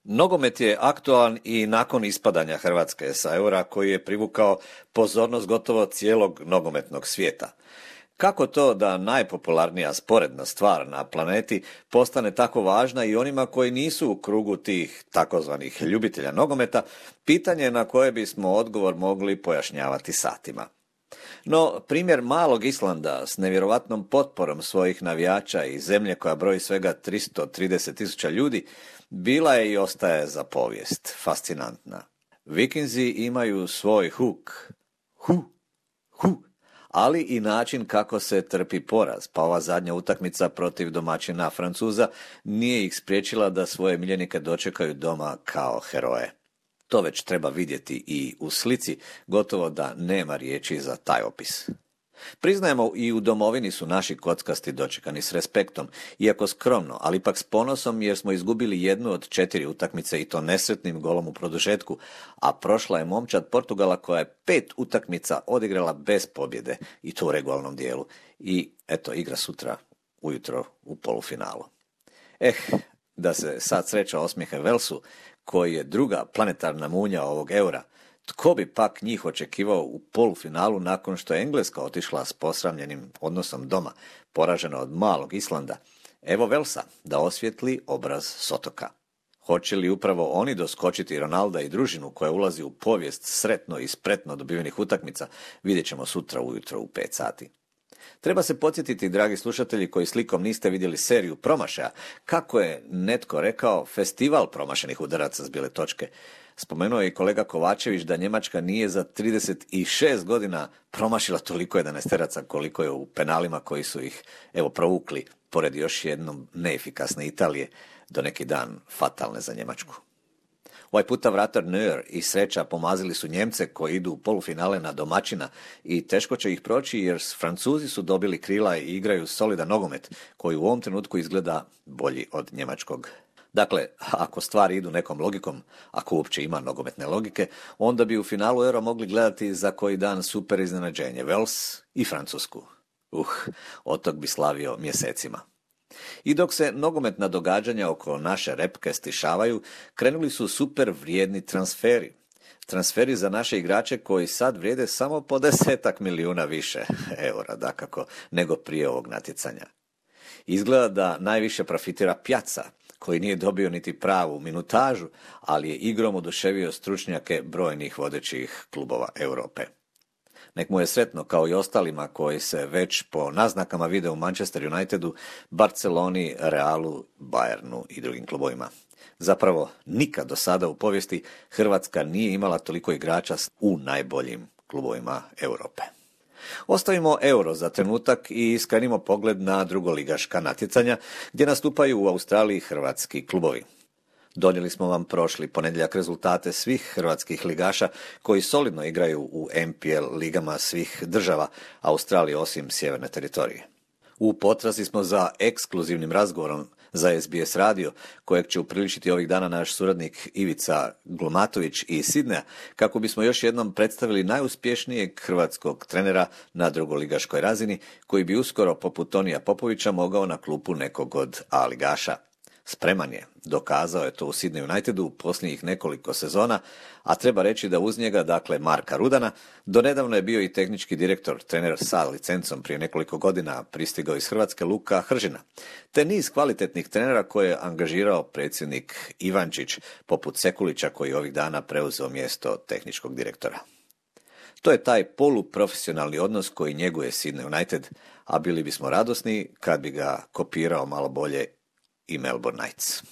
Nogomet je aktualan i nakon ispadanja Hrvatske sa eura koji je privukao pozornost gotovo cijelog nogometnog svijeta. Kako to da najpopularnija sporedna stvar na planeti postane tako važna i onima koji nisu u krugu tih takozvanih ljubitelja nogometa, pitanje na koje bismo odgovor mogli pojašnjavati satima. No, primjer malog Islanda s nevjerovatnom potporom svojih navijača i zemlje koja broji svega 330.000 ljudi, bila je i ostaje za povijest fascinantna. Vikinzi imaju svoj huk, ali i način kako se trpi poraz, pa ova zadnja utakmica protiv domaćina Francuza nije ih spriječila da svoje miljenike dočekaju doma kao heroje. To već treba vidjeti i u slici, gotovo da nema riječi za taj opis. Priznajemo, i u domovini su naši kockasti dočekani s respektom, iako skromno, ali ipak s ponosom jer smo izgubili jednu od 4 utakmice i to nesretnim golom u produžetku, a prošla je momčad Portugala koja je 5 utakmica odigrala bez pobjede i to u regularnom dijelu. I eto, igra sutra ujutro u polufinalu. Da se sad sreća osmijehe Velsu, koji je druga planetarna munja ovog eura, tko bi pak njih očekivao u polufinalu nakon što je Engleska otišla s posramljenim odnosom doma, poražena od malog Islanda? Evo Velsa da osvijetli obraz s otoka. Hoće li upravo oni doskočiti Ronalda i družinu koja ulazi u povijest sretno i spretno dobivenih utakmica, vidjet ćemo sutra ujutro u 5 sati. Treba se podsjetiti, dragi slušatelji koji slikom niste vidjeli seriju promašaja, kako je netko rekao festival promašenih udaraca s bijele točke. Spomenuo je i kolega Kovačević da Njemačka nije za 36 godina promašila toliko 11-teraca koliko je u penalima koji su ih provukli, pored još jednom neefikasne Italije, do neki dan fatalne za Njemačku. Ovaj puta vratar Neuer i sreća pomazili su Njemce koji idu u polufinale na domaćina i teško će ih proći jer Francuzi su dobili krila i igraju solidan nogomet koji u ovom trenutku izgleda bolji od njemačkog. Dakle, ako stvari idu nekom logikom, ako uopće ima nogometne logike, onda bi u finalu Euro mogli gledati za koji dan super iznenađenje, Vels i Francusku. Otok bi slavio mjesecima. I dok se nogometna događanja oko naše repke stišavaju, krenuli su super vrijedni transferi. Transferi za naše igrače koji sad vrijede samo po 10 milijuna više eura, dakako, nego prije ovog natjecanja. Izgleda da najviše profitira Piazza, koji nije dobio niti pravu minutažu, ali je igrom oduševio stručnjake brojnih vodećih klubova Europe. Nek mu je sretno kao i ostalima koji se već po naznakama vide u Manchester Unitedu, Barceloni, Realu, Bayernu i drugim klubovima. Zapravo, nikad do sada u povijesti Hrvatska nije imala toliko igrača u najboljim klubovima Europe. Ostavimo euro za trenutak i skrenimo pogled na drugoligaška natjecanja gdje nastupaju u Australiji hrvatski klubovi. Donijeli smo vam prošli ponedjeljak rezultate svih hrvatskih ligaša koji solidno igraju u MPL ligama svih država Australije osim sjeverne teritorije. U potrazi smo za ekskluzivnim razgovorom za SBS radio, kojeg će upriličiti ovih dana naš suradnik Ivica Glomatović iz Sidneja, kako bismo još jednom predstavili najuspješnijeg hrvatskog trenera na drugoligaškoj razini, koji bi uskoro poput Tonija Popovića mogao na klupu nekog od A ligaša. Spreman je, dokazao je to u Sydney Unitedu u posljednjih nekoliko sezona, a treba reći da uz njega, dakle Marka Rudana, donedavno je bio i tehnički direktor, trener sa licencom prije nekoliko godina pristigao iz Hrvatske Luka Hržina, te niz kvalitetnih trenera koje je angažirao predsjednik Ivančić, poput Sekulića koji ovih dana preuzeo mjesto tehničkog direktora. To je taj poluprofesionalni odnos koji njeguje Sydney United, a bili bismo radosni kad bi ga kopirao malo bolje i Melbourne Knights.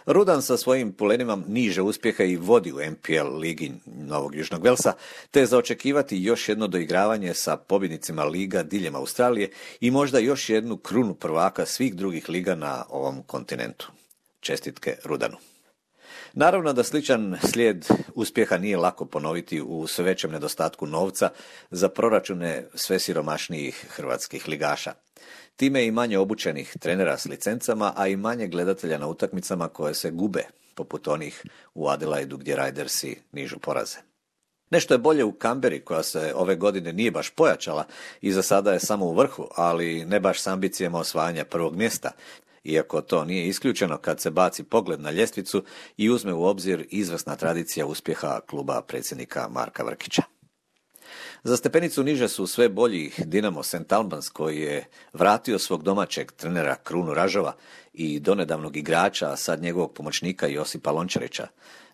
Rudan sa svojim pulenima niže uspjeha i vodi u MPL ligi Novog Južnog Velsa, te je za očekivati još jedno doigravanje sa pobjednicima liga diljem Australije i možda još jednu krunu prvaka svih drugih liga na ovom kontinentu. Čestitke Rudanu. Naravno da sličan slijed uspjeha nije lako ponoviti u sve većem nedostatku novca za proračune sve siromašnijih hrvatskih ligaša. Time i manje obučenih trenera s licencama, a i manje gledatelja na utakmicama koje se gube, poput onih u Adelaidu gdje Ridersi nižu poraze. Nešto je bolje u Canberri koja se ove godine nije baš pojačala i za sada je samo u vrhu, ali ne baš s ambicijama osvajanja prvog mjesta, iako to nije isključeno kad se baci pogled na ljestvicu i uzme u obzir izvrsna tradicija uspjeha kluba predsjednika Marka Vrkića. Za stepenicu niže su sve bolji Dinamo St. Albans koji je vratio svog domaćeg trenera Krunu Ražova i donedavnog igrača, a sad njegovog pomoćnika Josipa Lončarića.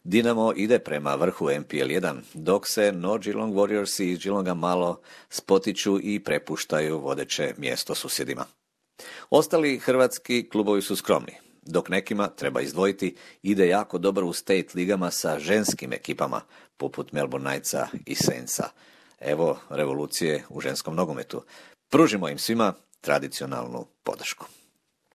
Dinamo ide prema vrhu MPL 1, dok se North Geelong Warriors iz Geelonga malo spotiču i prepuštaju vodeće mjesto susjedima. Ostali hrvatski klubovi su skromni, dok nekima, treba izdvojiti, ide jako dobro u state ligama sa ženskim ekipama, poput Melbourne Knightsa i Saintsa. Evo revolucije u ženskom nogometu. Pružimo im svima tradicionalnu podršku.